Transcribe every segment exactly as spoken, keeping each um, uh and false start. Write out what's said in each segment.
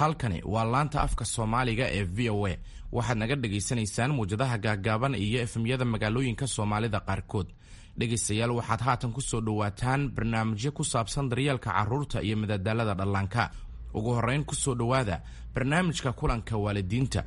Halkani waa laanta afka Soomaaliga ee V O A. Waxaad naga dhagaysanaysaan muwjadaha gaagaaban iyo F M-yada magaalooyinka Soomaalida qaarkood. Dhegaystayaal, waxaad haatan ku soo dhowaataan barnaamijyo ku saabsan daryeelka carruurta iyo madadaalada dhallaanka. Ugu horrayn, ku soo dhowaada barnaamijka kulanka waalidiinta.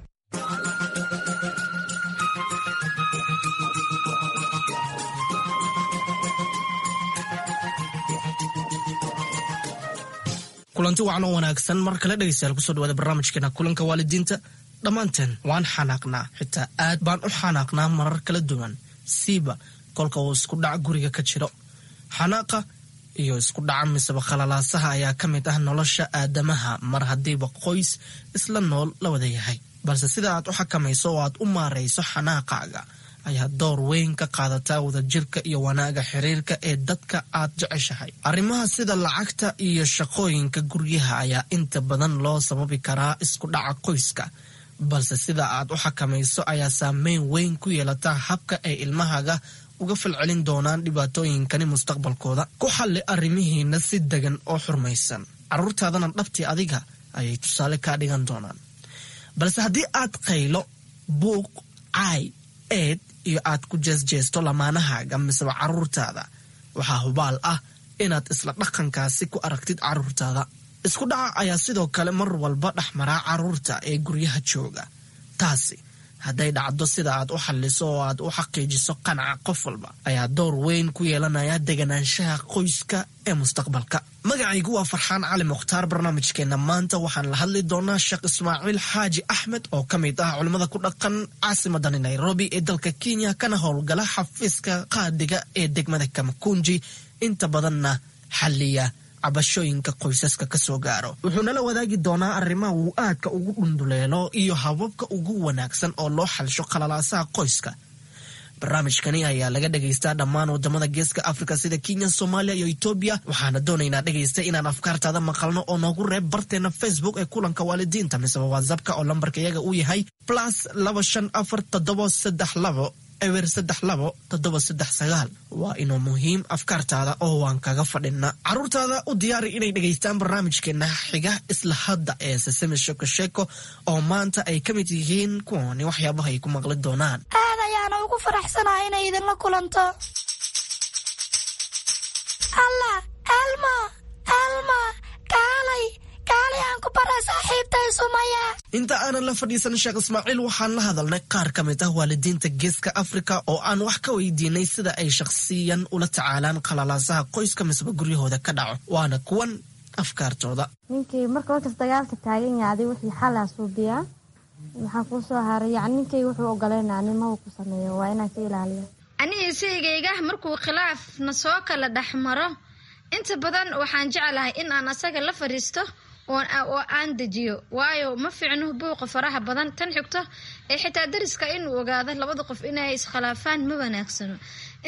Kulanti wacan oo wanaagsan mar kale, dhegeystayaal. Kusoo dhawaada barnaamijkeena kulanka waalidiinta. Dhammaanteen waan xanaaqnaa, xitaa aad baan u xanaaqnaa marar kala duwan, siiba kolka uu isku dhac guriga ka jiro. Xanaaqa iyo isku dhaca miseba khalalaasaha ayaa ka mid ah nolosha aadamaha mar haddiiba qoys isla nool la wada yahay. Balse sida aad u xakamayso oo aad u maarayso xanaaqaaga ayaa door weyn ka qaadataa wadajirka iyo wanaaga xiriirka ee dadka aad jeceshahay. Arrimaha sida lacagta iyo shaqooyinka guryaha ayaa inta badan loo sababi karaa isku dhaca qoyska, balse sida aad u xakamayso ayaa saameyn weyn ku yeelata habka ay ilmahaga uga falcelin doonaan dhibaatooyinkani mustaqbalkooda. Ku xalli arrimihiina si degan oo xurmaysan, carruurtaadana dhabtii adiga ayay tusaale kaa dhigan doonaan. Balse haddii aad qaylo, buuq, caay, eed iyo aad ku jeesjeesto lamaanahaaga miseba carruurtaada, waxaa hubaal ah inaad isla dhaqankaasi ku aragtid carruurtaada. Isku dhaca ayaa sidoo kale mar walba dhexmaraa carruurta ee guryaha jooga. Taasi hadday dhacdo, sida aad u xalliso oo aad u xaqiijiso qanaca qof walba ayaa door weyn ku yeelanaya deganaanshaha qoyska ee mustaqbalka. Magacaygu waa Farxaan Cali Mukhtaar. Barnaamijkeena maanta waxaan la hadli doonaa Sheekh Ismaaciil Xaaji Axmed oo ka mid ah culimmada ku dhaqan caasimadani Nairobi ee dalka Kenya, kana howlgala xafiiska qaadiga ee degmada Kamakunji, inta badanna xalliya cabashooyinka qoysaska ka soo gaaro. Wuxuu nala wadaagi doonaa arrimaha uu aadka ugu dhunduleelo iyo hababka ugu wanaagsan oo loo xalsho qalalaasaha qoyska. Barnaamijkani ayaa laga dhagaystaa dhammaan wadamada Geeska Afrika sida Kenya, Soomaaliya iyo Etoobiya. Waxaana doonaynaa, dhegaysta, inaan afkaartaada maqalno oo noogu reeb barteena Facebook ee kulanka waalidiinta, miseba WhatsAppka oo lambarka iyaga uu yahay plus laba shan afar toddoba saddex labo eber saddex labo toddoba saddex sagaal. Waa inuu muhiim afkaartaada oo waan kaga fadhina. Caruurtaada u diyaari inay dhegaystaan barnaamijkeena xiga isla hadda ee Sesame Sheko Sheko, oo maanta ay ka mid yihiin kuwani waxyaabaha ay ku maqli doonaan. Aad ayaana ugu faraxsanahay inay idinla kulanto. Allah, Elmo, Elmo, kaalay, kaalay, aan ku bara saaxiibtay Sumaya. Inta aanan la fadhiisan Sheekh Ismaaciil, waxaan la hadalnay qaar ka mid ah waalidiinta Geeska Afrika oo aan wax ka weydiinay sida ay shakhsiyan ula tacaalaan qalalaasaha qoyska misba guryahooda ka dhaco. Waana kuwan afkaartooda. Ninkii marka markas dagaalka taagan yahay, adig wixii xalaa suubiyaa. Maxaa kuu soo haray? Yani ninkayga wuxuu ogoleynaa nimaba ku sameeyo, waa inaan ka ilaaliyo. Aniga saygayga markuu khilaaf na soo kala dhex maro, inta badan waxaan jeclahay in aan asaga la fadhiisto oo aan dejiyo, waayo ma fiicno buuqa faraha badan. Tan xigto ee xitaa dariska inuu ogaado labada qof inay iskhilaafaan ma wanaagsano.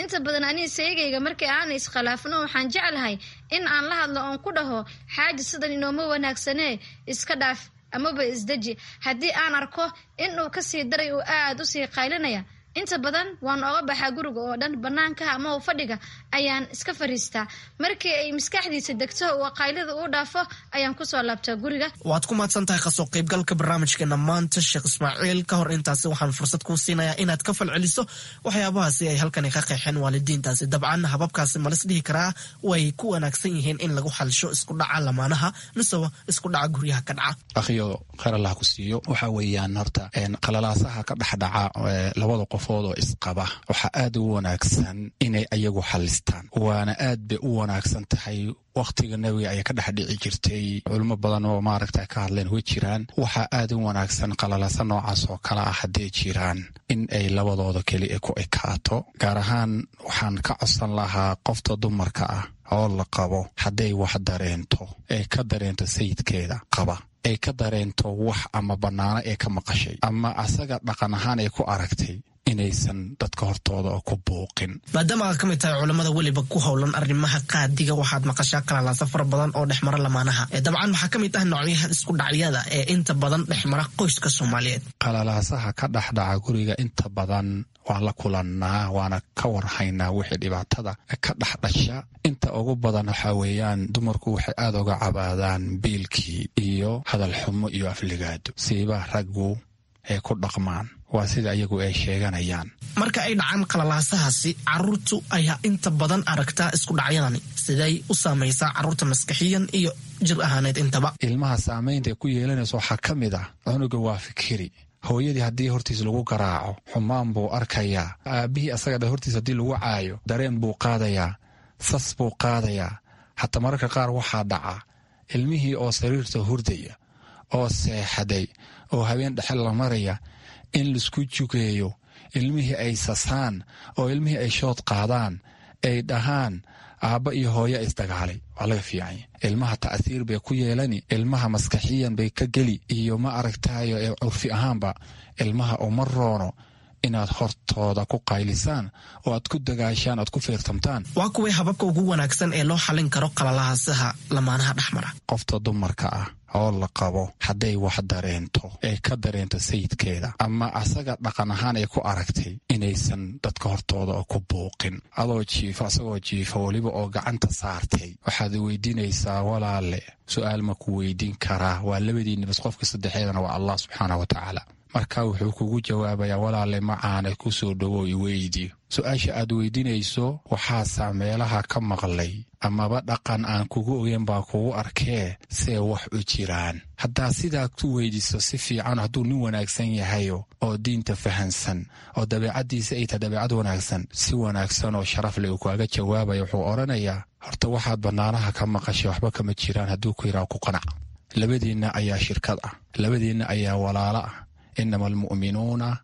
Inta badan aniga saygayga markii aan iskhilaafno, waxaan jeclahay in aan la hadlo oon ku dhaho: "Xaaji, sidan inooma wanaagsanee, iska dhaaf amaba isdeji." Haddii aan arko inuu kasii daray uu aada usii qaylinaya, inta badan waan oga baxaa guriga oo dhan, banaanka ama fadhiga ayaan iska fariistaa. Markii ay maskaxdiisa degto oo qaylida uu dhaafo, ayaan kusoo laabtaa guriga. Waad ku mahadsan tahay kasoo qaybgalka barnaamijkeena maanta, Sheekh Ismaaciil. Ka hor intaasi, waxaan fursad kuu siinayaa inaad ka falceliso waxyaabahaasi ay halkani ka qeexeen waalidiintaasi. Dabcan hababkaasi malis dhihi karaa way ku wanaagsan yihiin in lagu xalsho isku dhaca lamaanaha miseba isku dhaca guryaha ka dhaca? Akhiyo, khayr Allah ku siiyo. Waxa weeyaan horta qalalaasaha ka dhexdhaca labada qofood oo isqaba waxaa aad ugu wanaagsan inay ayagu xalistaan, waana aad bay u wanaagsan tahay. Wakhtiga Nebiga ayaa ka dhex dhici jirtay, culimo badan oo maaragta ka hadleen way jiraan. Waxaa aad u wanaagsan qalalasa noocaas oo kale ah hadday jiraan in ay labadooda keli ku ekaato. Gaar ahaan waxaan ka codsan lahaa qofta dumarka ah oo la qabo, hadday wax dareento, ee ka dareento sayidkeeda qaba, ay ka dareento wax ama bannaano ee ka maqashay ama asaga dhaqan ahaan ay ku aragtay, inaysan dadka hortooda oo ku buuqin. Maadaama aad ka mid tahay culamada weliba ku howlan arrimaha qaadiga, waxaad maqashaa kalalaasa fara badan oo dhexmara lamaanaha. Dabcan waxaa ka mid ah noocyaha isku dhacyada ee inta badan dhexmara qoyska Soomaaliyeed. Qalalaasaha ka dhexdhaca guriga inta badan Waan la kulannaa, waana ka warhaynaa wixii dhibaatada ka dhexdhasha. Inta ugu badan waxaa weeyaan dumarku waxay aada uga cabaadaan biilkii iyo hadal xumo iyo afligaado, siiba raggu ay ku dhaqmaan, waa sida iyagu ay sheeganayaan. Marka ay dhacaan qalalaasahaasi, caruurtu ayaa inta badan aragtaa isku dhacyadani. Siday u saamaysaa caruurta maskaxiyan iyo jir ahaaneed intaba? Ilmaha saamaynta ay ku yeelanayso waxaa ka mid ah, cunuga waa fikiri. Hooyadii haddii hortiis lagu garaaco, xumaan buu arkayaa. Aabbihii asaga dha hortiis haddii lagu caayo, dareen buu qaadayaa, sas buu qaadayaa. Hataa mararka qaar waxaa dhaca ilmihii oo sariirta hurdaya oo seexaday oo habeen dhexe la maraya in laisku jugeeyo, ilmihii ay sasaan oo ilmihii ay shood qaadaan, ay dhahaan aabba iyo hooyo isdagaalay. Waa laga fiicanya. Ilmaha ta'siir bay ku yeelani, ilmaha maskaxiyan bay ka geli, iyo ma aragtayo ee curfi ahaanba ilmaha uma roono inaad hortooda ku qaylisaan oo aad ku dagaashaan, aad ku fiirtamtaan. Waa kuway hababka ugu wanaagsan ee loo xallin karo qalalaasaha lamaanaha dhexmara? Qofta dumarka ah oo la qabo hadday wax dareento, ay ka dareento sayidkeeda ama asaga dhaqan ahaan ay ku aragtay, inaysan dadka hortooda oo ku buuqin. Adoo jiifa, asagoo jiifa, weliba oo gacanta saartay, waxaad weydiinaysaa, walaale, su-aal ma ku weydiin karaa? Waa labadiinni bas, qofka saddexeedana waa Allah subxaana wa tacaala. Marka wuxuu kugu jawaabayaa, walaale macaane, ku soo dhowow, iweydi su-aasha aad weydiinayso. Waxaasaa meelaha ka maqlay amaba dhaqan aan kugu ogeyn baa kugu arkee, see wax u jiraan? Haddaa sidaa ku weydiiso si fiican, hadduu nin wanaagsan yahayo oo diinta fahansan oo dabeecaddiisa ay tahay dabeecad wanaagsan, si wanaagsan oo sharaf leh uu kaaga jawaabaya. Wuxuu odhanayaa, horta waxaad bannaanaha ka maqashay waxba kama jiraan. Hadduu ku yidhaha, ku qanac. Labadiinna ayaa shirkad ah, labadiinna ayaa walaalo ah. Inama almu'minuuna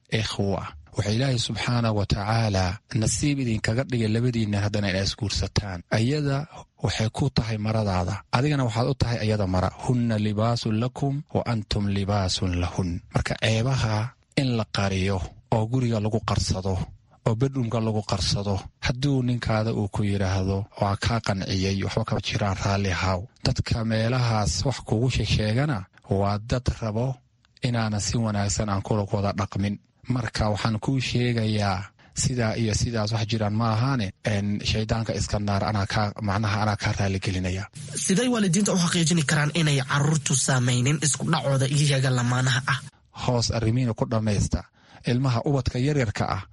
ikhwa. Waxaa Ilaahay subxaana wa tacaala nasiib idinkaga dhigay labadiinna haddana inaa isguursataan. Ayada waxay ku tahay maradaada, adigana waxaad u tahay ayada mara. Hunna libaasun lakum wa antum libaasun lahun. Marka ceebaha in la qariyo oo guriga lagu qarsado oo bedroomka lagu qarsado, hadduu ninkaada uu ku yidhaahdo waa kaa qanciyey, waxba kama jiraan, raalli haw. Dadka meelahaas wax kugu shesheegana waa dad rabo inaanan si wanaagsan aan kula wada dhaqmin. Marka waxaan kuu sheegayaa sidaa iyo sidaas wax jiraan ma ahaane, shaydaanka iska naar, anaa kaa macnaha anaa kaa raaligelinaya. Siday waalidiinta u xaqiijini karaan inay caruurtu saamaynin isku dhacooda iyaga lamaanaha ah? Hoos arrimiina ku dhammaysta. Ilmaha ubadka yaryarka ah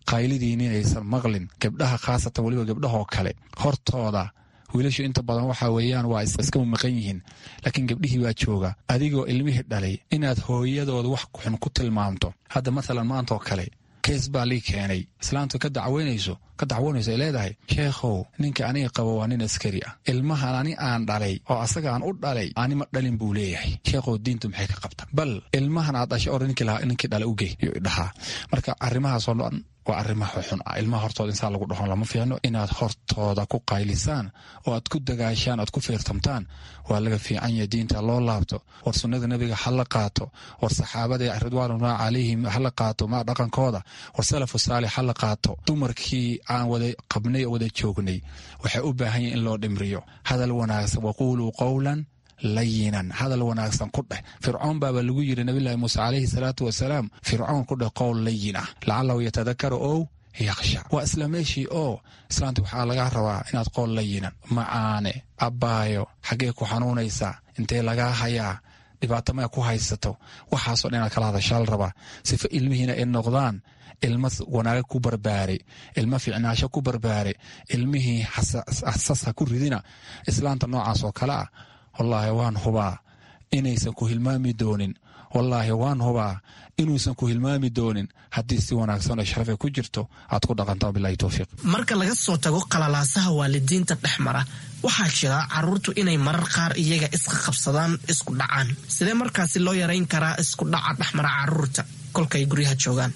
qaylidiin inaysan maqlin, gabdhaha khaasatan, weliba gabdhahoo kale hortooda. Wiilashu inta badan waxaa weeyaan waa iska maqan yihiin, laakiin gabdhihii baa jooga. Adigoo ilmihii dhalay inaad hooyadooda wax xun ku tilmaamto. Hadda mathalan maantaoo kale kees baa lii keenay, islaantu ka dacweynayso ka dacwoonayso, ay leedahay, sheekhow, ninka aniga qabo waa nin askari ah, ilmahan ani aan dhalay oo asaga aan u dhalay ani ma dhalin buu leeyahay. Sheekhow, diintu maxay ka qabta? Bal ilmahan aad dhashay or ninkii lahaa, ninkii dhalay ugey yuu idhahaa. Marka arrimahaasoo dhan waa arrimaha xun ah. Ilmaha hortooda insaan lagu dhahon lama fiicno. Inaad hortooda ku qaylisaan oo aad ku dagaashaan, aad ku fiirtamtaan waa laga fiican yahay. Diinta loo laabto, war sunnada nebiga ha la qaato, war saxaabada ridwaanullahi calayhim ha la qaato ma dhaqankooda, war salafu saalix ha la qaato. Dumarkii aan wada qabnay oo wada joognay waxay u baahan yihin in loo dhimriyo hadal wanaagsan. Waquuluu qowlan layinan, hadal wanaagsan ku dheh. Fircoon baaba lagu yidhi nabilahi muuse calayhi salaatu wasalaam, fircoon ku dheh qowl layin ah, lacalahu yatadakaru ow yaksha. Waa isla meeshii oo islaanta waxaa laga rabaa inaad qowl layinan, macaane, abbaayo, xaggee ku xanuunaysaa, intee lagaa hayaa, dhibaato maya ku haysato, waxaasoo dhan inaad kala hadashaa la rabaa, sifa ilmihiina ay noqdaan ilmo wanaaga ku barbaaray, ilmo ficnaasho ku barbaaray. Ilmihii xasas ha ku ridina. Islaanta noocaas oo kale ah, wallaahi waan hubaa inaysan ku hilmaami doonin, wallaahi waan hubaa inuusan ku hilmaami doonin, haddii si wanaagsan oo sharafay ku jirto aad ku dhaqanto. Bilahi towfiiq. Marka laga soo tago qalalaasaha waalidiinta dhex mara, waxaa jira caruurtu inay marar qaar iyaga iska qabsadaan, isku dhacaan. Sidee markaasi loo yarayn karaa isku dhaca dhexmara caruurta kolkay guryaha joogaan?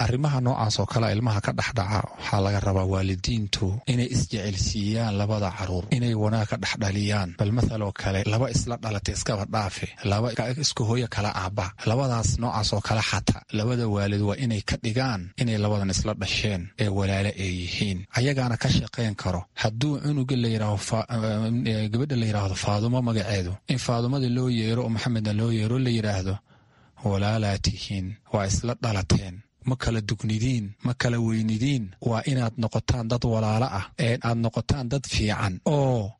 Arrimaha noocaas oo kale ilmaha ka dhexdhaca waxaa laga rabaa waalidiintu inay isjecelsiiyaan labada caruur, inay wanaag ka dhexdhaliyaan. Bal mathaloo kale laba isla dhalatay iskaba dhaafe, laba isku hooyo kala aabba, labadaas noocaas oo kale xataa labada waalid waa inay ka dhigaan inay labadan isla dhasheen ee walaale ay yihiin, ayagaana ka shaqayn karo. Hadduu cunuga la yidhaaho, gabadha la yidhaahdo Faadumo magaceedu, in Faadumadii loo yeero oo Maxamedna loo yeero, la yidhaahdo walaalaa tihiin, waa isla dhalateen, Ma kala dugnidiin, ma kala weynidiin. Waa inaad noqotaan dad walaalo ah, ee aad noqotaan dad fiican oo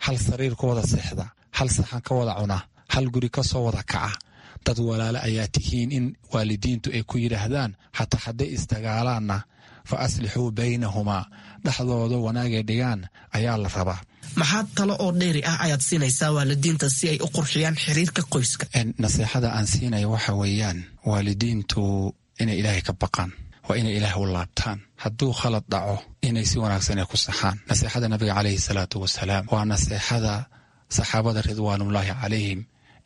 hal sariir ka wada seexda, hal saxan ka wada cuna, hal guri ka soo wada kaca. Dad walaalo ayaa tihiin in waalidiintu ay ku yidhaahdaan, xataa hadday isdagaalaanna fa aslixuu baynahumaa, dhexdooda wanaagay dhigaan ayaa la rabaa. Maxaa talo oo dheeri ah ayaad siinaysaa waalidiinta si ay u qurxiyaan xiriirka qoyska? Naseexada aan siinaya waxa weeyaan, waalidiintu inay ilaahay ka baqaan, waa inay ilaahay u laabtaan. Hadduu khalad dhaco, inay si wanaagsan ay ku saxaan. Naseexada nabiga calayhi salaatu wasalaam waa naseexada saxaabada ridwaanullaahi calayhim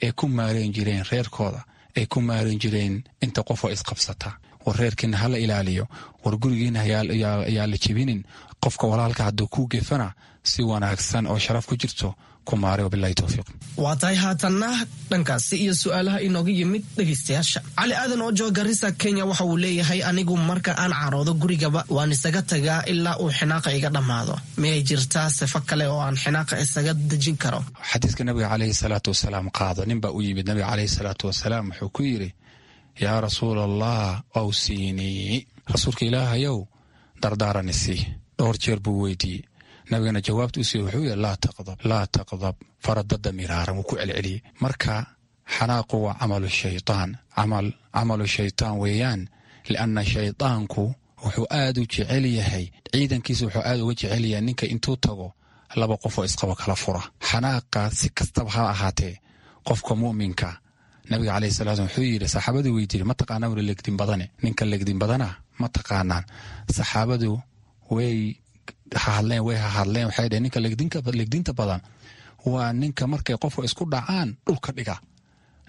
ay ku maareen jireen reerkooda, ay ku maareen jireen inta qofoo isqabsata. War reerkiina hala ilaaliyo, war gurigiina yaa la jebinin. Qofka walaalka hadduu kuu gefana, si wanaagsan oo sharaf ku jirto ku maare. Wabilahi towfiiq. Waa tahay, haatanna dhankaasi iyo su-aalaha inooga yimid dhegaystayaasha. Cali Aadan oo jooga Garissa, Kenya, waxa uu leeyahay: "Anigu marka aan caroodo gurigaba waan isaga tagaa ilaa uu xinaaqa iga dhammaado. Miyay jirtaa sifo kale oo aan xinaaqa isaga dejin karo?" Xadiiska nabiga calayhi salaatu wasalaam qaado. Nin baa u yimid nabiga calayhi salaatu wasalaam, wuxuu ku yidhi: "Yaa rasuul Allah, awsiinii, rasuulka ilaahayow, dardaaranisi." Dhowr jeer buu weydiiyey. Nabigana jawaabta u siiye wuxuu yidhi: "Laa taqdab, laa taqdab." Faradada miraaran wuu ku celceliyey. Marka xanaaqu waa camalu shaytaan, camal camalu shaytaan weeyaan, lianna shaydaanku wuxuu aad u jecel yahay ciidankiisa, wuxuu aad uga jecel yahay ninka intuu tago laba qof oo isqabo kala fura. Xanaaqa si kastaba ha ahaatee, qofka mu'minka, nabiga calayhi salatu wuxuu yidhi, saxaabadu weydiiyey: "Ma taqaanaa wuri legdin badane? Ninka legdin badana ma taqaanaan?" Saxaabadu way hahadleen, way hahadleen, waxay dheheen: "Ninka legdinta badan waa ninka markay qofka isku dhacaan dhulka dhiga."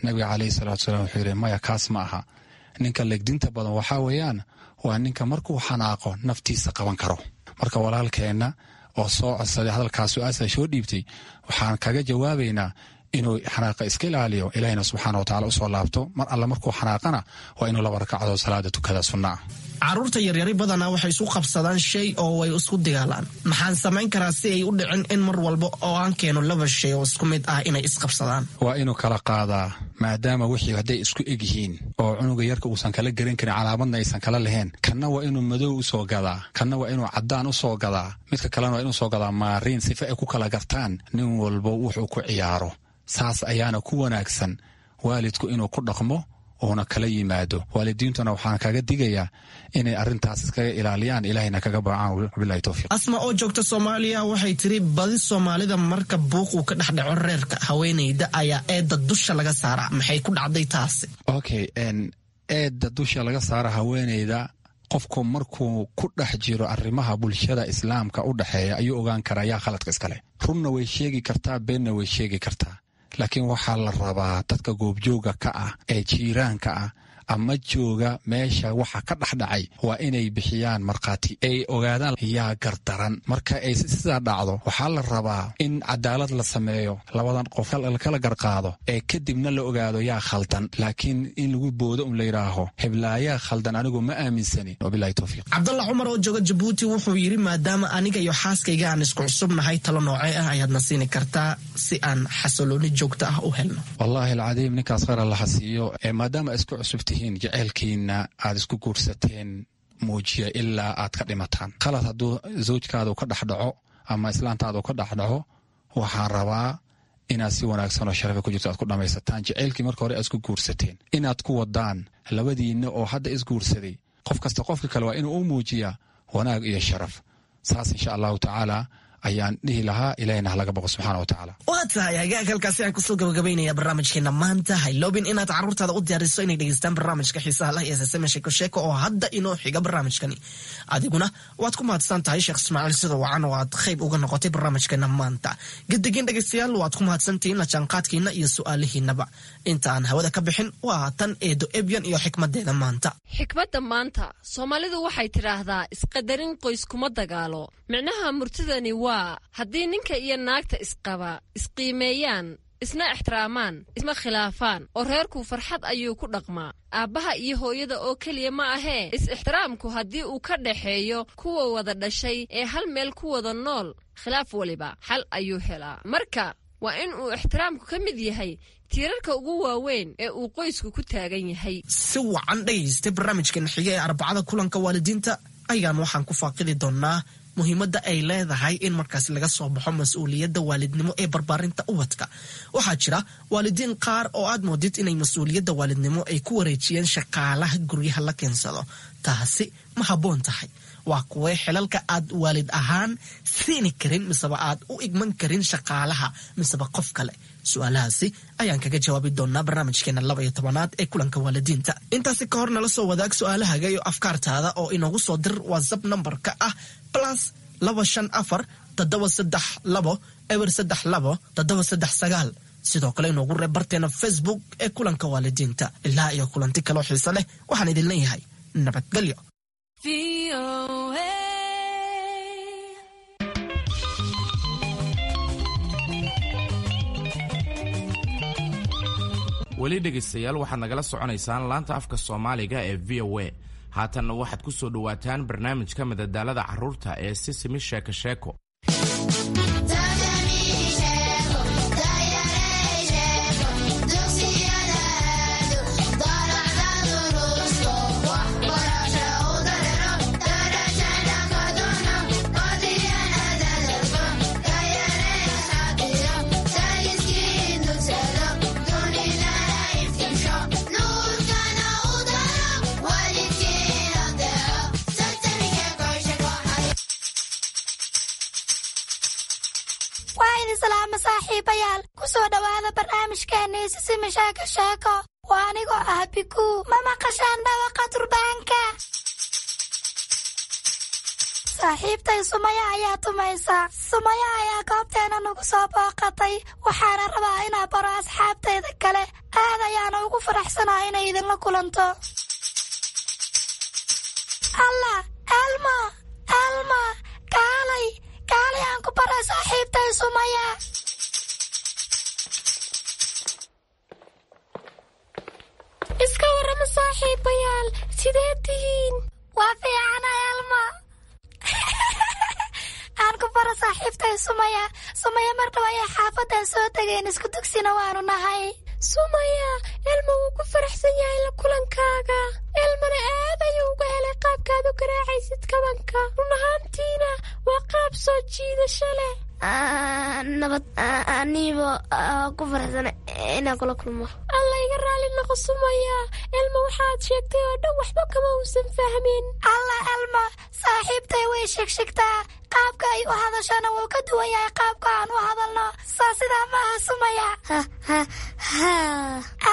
Nabiga calayhi salatu wasalaam wuxuu yidhi: "Maya, kaas ma aha. Ninka legdinta badan waxaa weeyaan waa ninka markuu xanaaqo naftiisa qaban karo." Marka walaalkeenna oo soo codsaday hadalkaas, su-aasha soo dhiibtay, waxaan kaga jawaabaynaa inuu xanaaqa iska ilaaliyo, ilaahina subxaana wa tacala usoo laabto. Mar alle markuu xanaaqana waa inuu laba ragcadood salaada tukada sunna ah. Caruurta yaryari badanaa waxay isu qabsadaan shay oo way isku dagaalaan. Maxaan samayn karaa si ay u dhicin in mar walba oo aan keeno laba shay oo isku mid ah inay isqabsadaan? Waa inuu kala qaadaa, maadaama wixii hadday isku eg yihiin oo cunuga yarka uusan kala garan karin, calaamadna aysan kala lahayn. Kanna waa inuu madow usoo gadaa, kanna waa inuu caddaan usoo gadaa, midka kalena waa inuu soo gadaa maariin, sifa ay ku kala gartaan nin walbo wuxuu ku ciyaaro. Saas ayaana ku wanaagsan waalidku inuu ku dhaqmo uuna kala yimaado. Waalidiintuna waxaan kaga digayaa inay arrintaas iskaga ilaaliyaan, ilaahayna kaga baacaan. Wabilahi towfiiq. Asma oo joogta Soomaaliya waxay tiri: "Badi Soomaalida marka buuq uu ka dhex dhaco reerka, haweenayda ayaa eedda dusha laga saaraa. Maxay ku dhacday taasi?" Okay, eedda dusha laga saara haweenayda, qofku markuu ku dhex jiro arrimaha bulshada islaamka u dhexeeya ayuu ogaan karaa yaa khaladka iskale. Runna way sheegi kartaa, beenna way sheegi kartaa, laakiin waxaa la rabaa dadka goobjooga ka ah ee jiiraanka ah ama jooga meesha waxa ka dhexdhacay waa inay bixiyaan markhaati, ay ogaadaan yaa gardaran. Marka ay sidaa dhacdo, waxaa la rabaa in cadaalad la sameeyo, labadan qof kala garqaado, ee kadibna la ogaado yaa khaldan. Laakiin in lagu boodo un la yidhaaho heblaayaa khaldan, anigu ma aaminsani. Wabilahi towfiiq. Cabdalla Cumar oo jooga Jabuuti wuxuu yidhi: "Maadaama aniga iyo xaaskayga aan isku cusubnahay, talo noocee ah ayaadna siini kartaa si aan xasilooni joogto ah u helno?" Wallaahi alcadiim, ninkaas khayr allaha siiyo. Maadaama isku cusub tihiin, jaceylkiina aad isku guursateen muujiya ilaa aad ka dhimataan. Khalad hadduu zawjkaada u ka dhexdhaco ama islaantaada u ka dhexdhaco, waxaan rabaa inaad si wanaagsan oo sharafa ku jirto aad ku dhammaysataan. Jaceylkii marka hore aad isku guursateen inaad ku wadaan labadiinna oo hadda isguursaday, qof kasta qofka kale waa inuu u muujiyaa wanaag iyo sharaf. Saas insha allahu tacaala ayaan dhihi lahaa. Ilahina halaga boqo subxaana wa tacaala. Waa tahay, hagaag, halkaasi aan kusoo gabagabaynaya barnaamijkeena maanta. Hayloobin inaad carruurtaada u diyaariso inay dhegeystaan barnaamijka xiisaha lah ee sasame sheeko sheeko oo hadda inoo xiga barnaamijkani. Adiguna waad ku mahadsan tahay, Sheekh Ismaaciil, sida wacan oo aad qayb uga noqotay barnaamijkeena maanta. Gadigin dhegeystayaal, waad ku mahadsantihiin la jaanqaadkiina iyo su-aalihiinaba. Inta aan hawada ka bixin, waa tan Eedo Ebyan iyo xikmadeeda maanta. Xikmadda maanta, Soomaalidu waxay tidhaahdaa: "Isqadarin qoys kuma dagaalo." Micnaha murtidani waa haddii ninka iyo naagta isqaba isqiimeeyaan, isna ixtiraamaan, isma khilaafaan oo reerku farxad ayuu ku dhaqmaa. Aabbaha iyo hooyada oo keliya ma ahee, is-ixtiraamku haddii uu ka dhaxeeyo kuwa wada dhashay ee hal meel ku wada nool, khilaaf waliba xal ayuu helaa. Marka Waa in uu ixtiraamku ka mid yahay tiirarka ugu waaweyn ee uu qoysku ku taagan yahay. Si wacan dhegaysta, barnaamijkan xiga ee Arbacada kulanka waalidiinta ayaan waxaan ku faaqidi doonaa muhiimadda ay leedahay in markaas laga soo baxo mas-uuliyadda waalidnimo ee barbaarinta ubadka. Waxaa jira waalidiin qaar oo aad moodid inay mas-uuliyadda waalidnimo ay ku wareejiyeen shaqaalaha guryaha la keensado. Taasi ma habboon tahay? Waa kuwee xilalka aad waalid ahaan siini karin miseba aad u igman karin shaqaalaha miseba qof kale? Su-aalahaasi ayaan kaga jawaabi doonaa barnaamijkeena laba iyo tobanaad ee kulanka waalidiinta. Intaasi ka hor, nala soo wadaag su-aalahaga iyo afkaartaada oo inoogu soo dir WhatsApp nambarka ah plus laba shan afar toddoba saddex labo eber saddex labo toddoba saddex sagaal. Sidoo kale inoogu reeb barteena Facebook ee kulanka waalidiinta. Ilaa iyo kulanti kaloo xiise leh, waxaan idin leeyahay nabadgelyo. Weli dhegaystayaal, waxaad nagala soconaysaan laanta afka Soomaaliga ee V O A. Haatanna waxaad ku soo dhowaataan barnaamijka madadaalada carruurta ee Sisimi Sheeko Sheeko. Waa idin salaama, saaxiibayaal. Ku soo dhowaada barnaamijkeena Sisimi Sheeko Sheeko. Waa anigoo ah Bikuu. Ma maqashaan dhawaqa durbaanka? Saaxiibtay Sumaya ayaa tumaysa. Sumaya ayaa goobteena nagu soo booqatay, waxaana rabaa inaa baro asxaabtayda kale. Aad ayaana ugu faraxsanaa inay idinla kulanto. Allah, Elmo, Elmo, kaalay, kaalay, aan ku bara saaxiibtay Sumaya. Iska warrama, saaxiibayaal, sidee tihiin? Waa fiicana, Elmo. Aan ku baro saaxiibtay Sumaya. Sumaya mar dhow ayay xaafadan soo tegeen, isku dugsina waanu nahay. Sumaya, Elmo wuu ku faraxsan yahay la kulankaaga. Elmona aad ayuu uga helay qaabkaad u garaacaysid kabanka. Run ahaantiina waa qaab soo jiidasho leh. Nabad, aniiba ku faraxsan inaan kula kulmo. Alla iga raali noqo, Sumaya. Elmo waxaad sheegtay oo dhan waxba kama uusan fahmin. Allah, Elmo, saaxiibtay way shegshegtaa. Qaabka ay u hadashana wuu ka duwan yahay qaabka aan u hadalno. Saa sidaa maaha, Sumaya?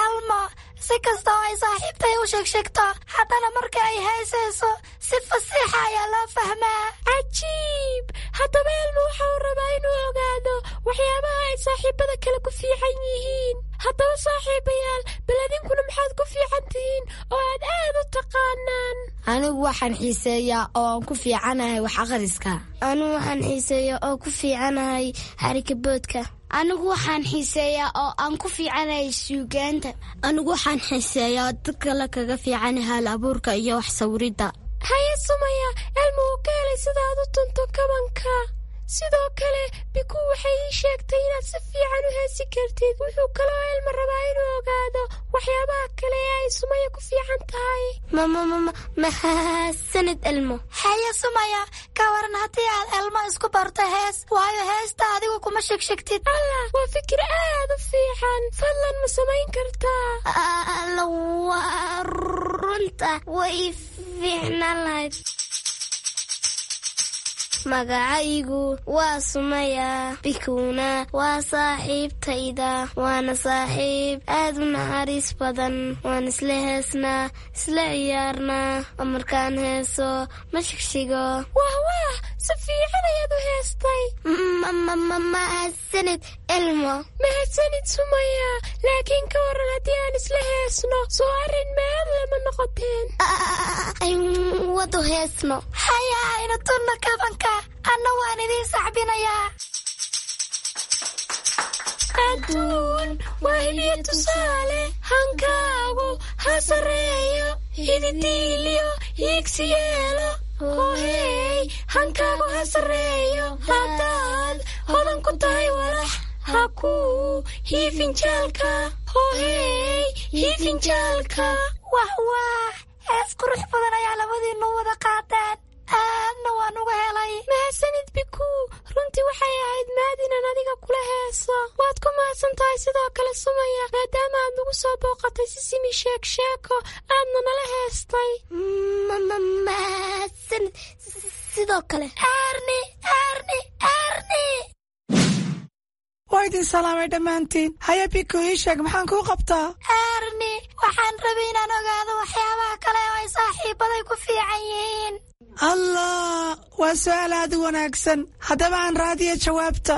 Elmo, si kasta oo ay saaxiibtay u sheegshegto, haddana marka ay heesayso si fasiixa ayaa loo fahmaa. Cajiib! Haddaba Elmo waxa uu rabaa inuu ogaado waxyaabaha ay saaxiibada kale ku fiican yihiin. Haddaba saaxiibayaal, bal adinkuna maxaad ku fiican tihiin oo aad aad u taqaanaan? Anigu waxaan xiiseeyaa oo aan ku fiicanahay wax akhriska. Anigu waxaan xiiseeyaa oo ku fiicanahay xarika boodka. Anigu waxaan xiiseeyaa oo aan ku fiicanahay suugaanta. Anigu waxaan xiiseeyaa dad kale kaga fiicanahay hal abuurka iyo wax sawiridda. Haye Sumaya, Elmo wuu ka helay sidaad u tunto kabanka. Sidoo kale Biku waxay ii sheegtay inaad si fiican u heesi kartid. Wuxuu kaloo Elmo rabaa inuu ogaado waxyaabaha kale ee ay Sumaya ku fiican tahay. Mahadsanid, Elmo. Haye Sumaya, ka waran haddii aad Elmo isku barto hees? Waayo heesta adigu kuma shegshegtid. Allah, waa fikir aad u fiican. Fadlan ma samayn kartaa? Alla, waa runta, way fiicnaan lahayd. Magacaygu waa Sumaya, Bikuuna waa saaxiibtayda, waana saaxiib aad u naxariis badan. Waan isla heesnaa, isla ciyaarnaa, oo markaan heeso ma shigshigo. Wah wah, si fiican ayaad u heestay. Mahadsanid, Elmo. Mahadsanid, Sumaya. Laakiin ka waran haddii aan isla heesno? Soo arrin meel lama noqoteen? Wadu heesno. Haya, aynu tunno kabanka, anna waan idiin sacbinayaa. Adduun waa hibiyo tusaale, hankaagu ha sarreeyo, hididiiliyo hiigsi yeelo. Hohey, hankaagu ha sarreeyo. Haddaad hodan ku tahay walax, Ha ku hiifinjaalka, hohey hiifinjaalka. Wah wah, hees qurux badan ayaa labadiinnu wada qaateen, aadna waan uga helay. Mahadsanid Bikuu, runtii waxay ahayd mahad inaan adiga kula heeso. Waad ku mahadsan tahay sidoo kale Sumaya, maadaama aad nagu soo booqatay Sisimi Sheek Sheeko, aadna nala heestay. Mahadsanid sidoo kale. Erni, Erni, Erni! Waa idin salaamay dhammaantiin. Haya Biku, ii sheeg maxaan kuu qabtaa? Erni, waxaan rabay inaan ogaado waxyaabaha kale oo ay saaxiibaday ku fiican yihiin. Allah, waa su'aal aad u wanaagsan. Haddaba aan raadiya jawaabta.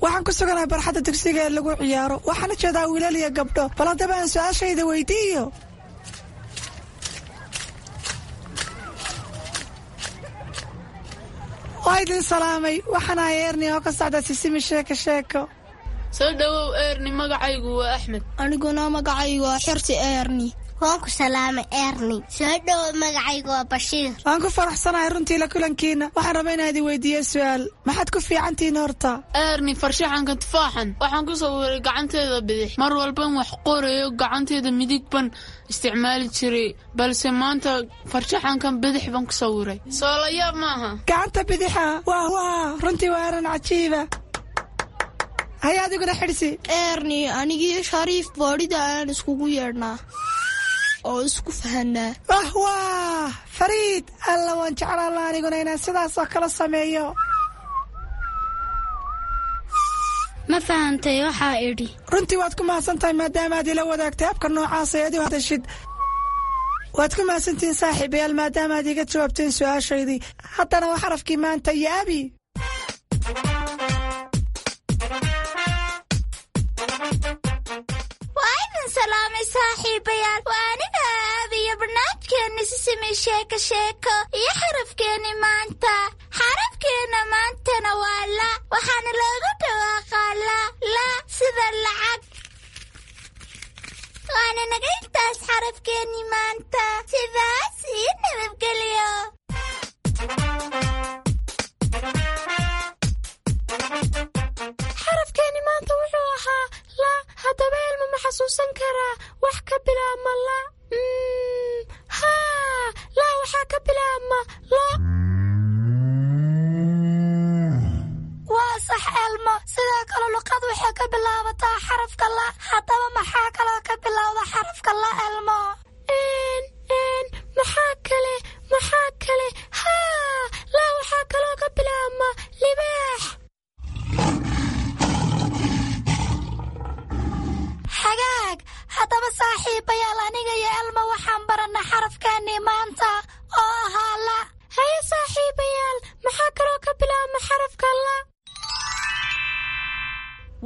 Waxaan ku suganahay barxadda dugsiga ee lagu ciyaaro. Waxaan u jeedaa wiilal iyo gabdho. Bal haddaba aan su'aashayda weydiiyo. Waa idin salaamay. Waxaan ahay Erni oo ka socda Sisimi Sheeko Sheeko. Soo dhowow Erni, magacaygu waa Axmed. Aniguna magacaygu waa Xirsi Erni. Waan ku salaamay Erni. Soo dhowow, magacaygu waa Bashiir. Waan ku faraxsanahay runtii la kulankiina. Waxaan rabaa inaan idin weydiiyo su'aal. Maxaad ku fiicantihiin horta? Erni, farshaxanka tufaaxan waxaan ku sawiray gacanteeda bidix. Mar walban wax qorayo gacanteeda midig ban isticmaali jiray, balse maanta farshaxankan bidix baan ku sawiray. Soo la yaab maaha. Gacanta bidixa, wah wah, runtii waa arrin cajiiba. Haya adiguna Xidhsi. Erni, anigii Shariif boodhida ayaan iskugu yeedhnaa oo isku fahanaa. Wah wah, Fariid, alla waan jeclaan lahaa aniguna inaan sidaas oo kale sameeyo. Ma fahantay waxaa idhi? Runtii waad ku mahadsan tahay maadaama aad ila wadaagtay habka noocaas ee aad u hadashid. Waad ku mahadsantihiin saaxiibayaal maadaama aad iga jawaabteen su'aashaydii. Haddana waa xarafkii maanta iyo Abi. Waa idin salaamay saaxiibayaal. Waa aniga Aabi iyo barnaamijkeenni Sisimi Sheeko Sheeko iyo xarafkeenni maanta. Xarafkeenna maantana waa la, waxaana loogu dhawaaqaa la, la sida lacag. Waana naga intaas xarafkeenni maanta. Sidaas iyo nabadgelyo. Xarafkeeni maanta wuxuu ahaa la. Haddaba Elmo ma xasuusan karaa wax ka bilaabma la? Mm, haa, la waxaa ka bilaabma lo. Waa sax Elmo. Sidoo kale luqad waxay ka bilaabataa xarafka la. Haddaba maxaa kaloo ka bilowda xarafka la, Elmo? Een, een, maxaa kale, maxaa kale? Haa, la waxaa kaloo ka bilaabma libaax. Hagaag, haddaba saaxiibayaal, aniga iyo Elmo waxaan barannay xarafkeennii maanta oo ahaa la. Haye saaxiibayaal, maxaa kaloo ka bilaabma xarafka la?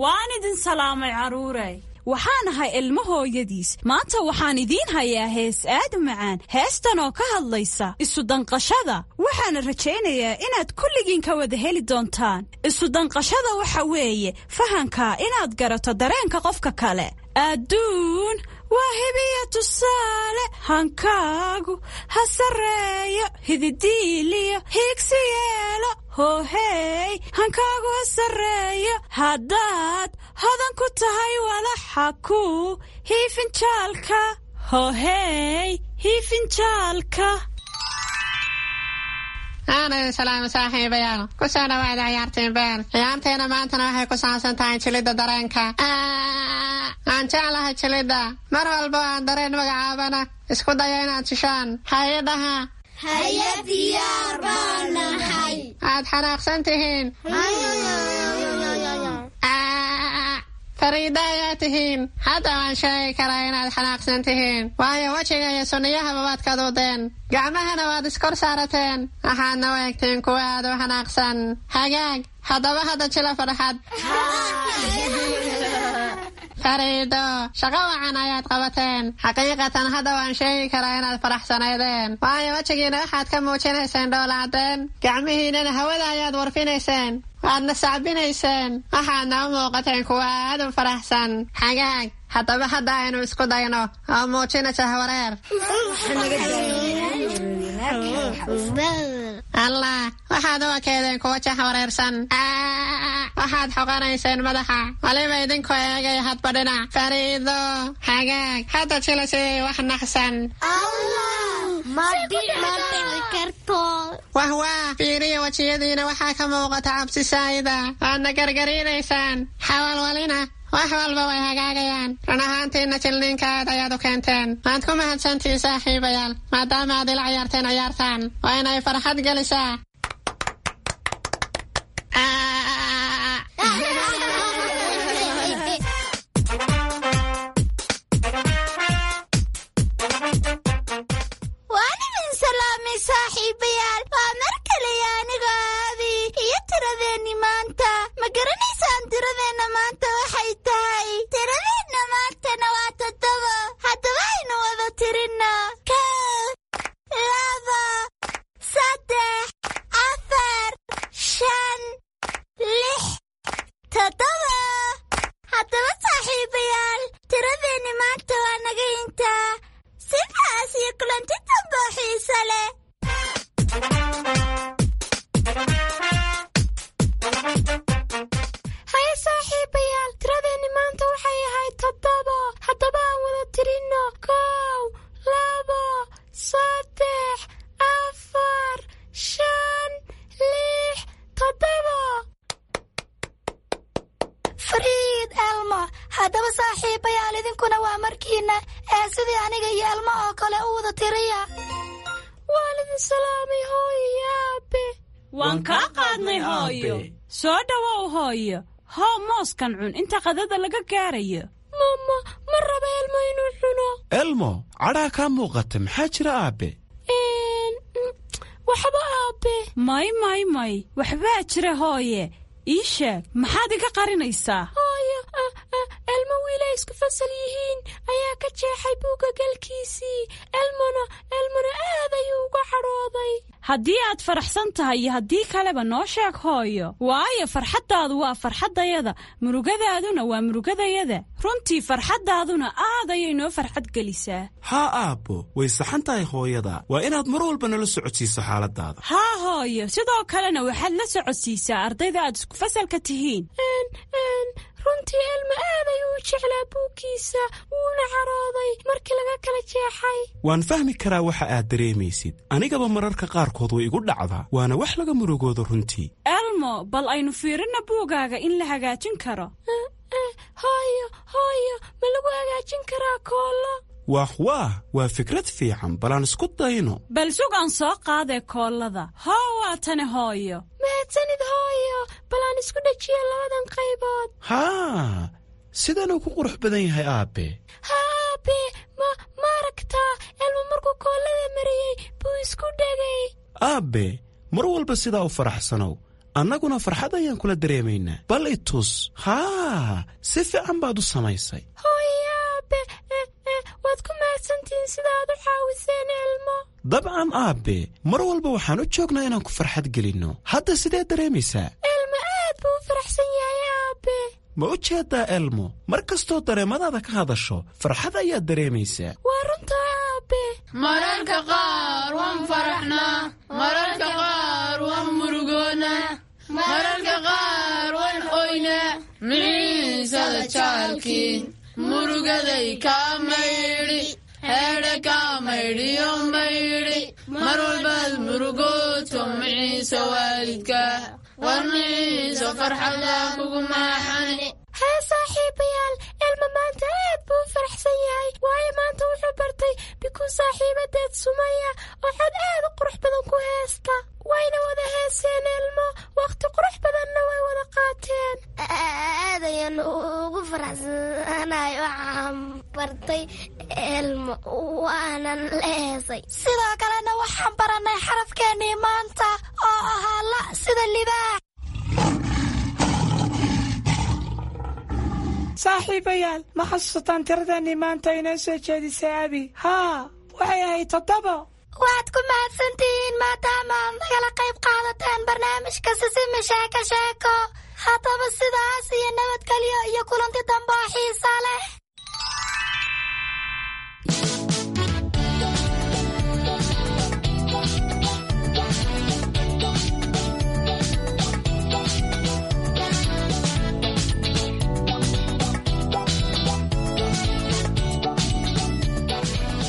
Waan idin salaamay carruuray. Waxaan ahay ilmo hooyadiis. Maanta waxaan idiin hayaa hees aad u macaan, heestan oo ka hadlaysa isu danqashada. Waxaana rajaynayaa inaad kulligiin ka wada heli doontaan. Isu danqashada waxa weeye fahanka inaad garato dareenka qofka kale. Adduun waa hibiya tusaale, hankaagu ha sarreeyo, hididiiliyo hiigsi yeelo. Hohey, hankaagu ha sarreeyo. Haddaad hodan ku tahay walaxa ku hiifinjaalka, hohey hiifinjaalka. Aan idin salaamo saaxiibayaal. Ku soo dhawaada ciyaartiin been. Ciyaarteena maantana waxay ku saabsan tahay jilidda dareenka. Aan jeclahay jilidda. Mar walba aan dareen magacaabana isku dayo inaad jishaan. Hay-adaha. Haye, diyaar baan nahay. Aad xanaaqsan tihiin. Fariida ayaa tihiin. Hadda waan sheegi karaa inaad xanaaqsan tihiin, waayo wejiga iyo sunniyahaba waad kaduudeen, gacmahana waad iskor saarateen, waxaadna u egtiin kuwa aad u xanaaqsan. Hagaag, haddaba hadda jila farxad. Fariido, shaqo wacan ayaad qabateen. Xaqiiqatan hadda waan sheegi karaa inaad faraxsanaydeen, waayo wejigiina waxaad ka muujinayseen dhoola cadeen, gacmihiinana hawada ayaad warfinayseen, waadna sacbinayseen, waxaadna u muuqateen kuwa aad u faraxsan. Xagaag, haddaba hadda aynu isku dayno oo muujina jahwareer. Allah, waxaad u ekeedeen kuwa jax wareersan. Waxaad xoqanayseen madaxa, waliba idinkoo eegaya hadba dhinac. Fariido, hagaag, hadda jila sidii wax naxsan. Wah wah, fiiriya wejiyadiina, waxaa ka muuqata cabsi saayida. Waadna gargariinaysaan. Xawalwalina, wax walba way hagaagayaan. Run ahaantiina jilniinka aad ayaad u keenteen. Waad ku mahadsantihiin, saaxiibayaal, maadaama aad ila ciyaarteen ciyaartaan. Waa inay farxad gelisaa. Waan idin salaamay, saaxiibayaal. Waa mar kale aniga Aabi iyo tiradeenni maanta. Ma garanaysaan tiradeenna maanta waxay tahay? Tiradeenna maantana waa toddoba. Haddaba aynu wada tirinno: kow, laba, saddex, afar, shan, lix, toddoba. Haddaba saaxiibayaal, tiradeenni maanta waa naga intaa. Sidaas iyo kulanti dambe oo xiiso leh. Haye saaxiibayaal, tiradeenni maanta waxay ahayd toddobo. Haddaba aan wada tirinno: kow, labo, saddex, afar, shan, lix, toddobo. Fariid, Elmo. Haddaba saaxiibayaal, idinkuna waa markiina ee sidii aniga iyo Elmo oo kale u wada tiriya. Waan idin salaamay, hooyo iyo aabe. Waan kaa qaadnay, hooyo. Soo dhowow, hooyo. Hoo mooskan cun inta qadada laga gaarayo. Mama, ma raba Elmo inuu cuno. Elmo, cadhaa kaa muuqata, maxaa jira, aabe? Waxba, aabe. May, may, may, waxbaa jira, hooye. Ii sheeg, maxaad iga qarinaysaa? Hooyo, Elmo wiilay isku fasal yihiin ayaa ka jeexay buugga galkiisii. Elmona Elmona aad ayuu uga cadhooday. Haddii aad faraxsan tahay iyo haddii kaleba noo sheeg, hooyo, waayo farxaddaadu waa farxaddayada, murugadaaduna waa murugadayada. Runtii farxaddaaduna aad ayay noo farxad gelisaa. Haa aabbo, way saxan tahay hooyada. Waa inaad mar walba nala socodsiiso xaaladaada. Haa hooyo, sidoo kalena waxaad la socodsiisaa ardayda aad isku fasalka tihiin. Runtii Elmo aad ayuu u jeclaa buuggiisa, wuuna carooday markii laga kala jeexay. Waan fahmi karaa waxa aad dareemaysid. Anigaba mararka qaarkood way igu dhacdaa, waana wax laga murugoodo runtii. Elmo, bal aynu fiirinna buugaaga in la hagaajin karo. Hooyo, hooyo, ma lagu hagaajin karaa koollo? Waah waah, waa fikrad fiican. Balaan isku dayno. Bal sug aan soo qaadee koollada. Hoo, waa tani, hooyo. Mahadsanid, hooyo. Bal aan isku dhajiyo labadan qaybood. Haa, sidanuu ku qurux badan yahay, aabe. Haa aabe, ma ma aragtaa? Elmo markuu koollada mariyey buu isku dhegay. Aabe, mar walba sidaa u faraxsanow, annaguna farxad ayaan kula dareemaynaa. Bal i tus. Haa, si fiican baad u samaysay. Hooyo, aabe, waad ku mahadsantihiin sida aad u caawiseen Elmo. Dabcan aabe, mar walba waxaan u joognaa inaan ku farxad gelinno. Hadda sidee dareemaysaa? Elmo aad buu u faraxsan yahay, aabe. Ma u jeedaa, Elmo, mar kastoo dareemadaada ka hadasho farxad ayaad dareemaysaa. Waa runtaa, aabe. Mararka qaar waan faraxnaa, mararka qaar waan murugoonaa, mararka qaar waan oynaa. Miciisada jaalkii murugaday kaa maydhi, heedhe kaa maydhiyo maydhi. Mar walbaad murugooto miciiso waalidka, war miciiso farxadda kugu maaxani. Hee saaxiibayaal, Elmo maanta aad buu u faraxsan yahay, waayo maanta wuxuu bartay Bikuu saaxiibadeed Sumaya oo cod aad u qurux badan ku heesta. Wayna wada heeseen Elmo, wakhti qurux badanna way wada qaateen. Aad ayaan ugu faraxsanahay, waxaan bartay Elmo waanan la heesay. Sidoo kalena waxaan barannay xarafkeennii maanta oo ahaa la, sida libaax. Saaxiibayaal, ma xasuusataan tiradeenii maanta inoo soo jeedisay Abi? Haa, waxay ahayd toddobo. Waad ku mahadsantihiin maadaama aad nagala qayb qaadateen barnaamijka Sisimi Sheeko Sheeko. Haddaba sidaas iyo nabadgelyo iyo kulanti dambe oo xiisa leh.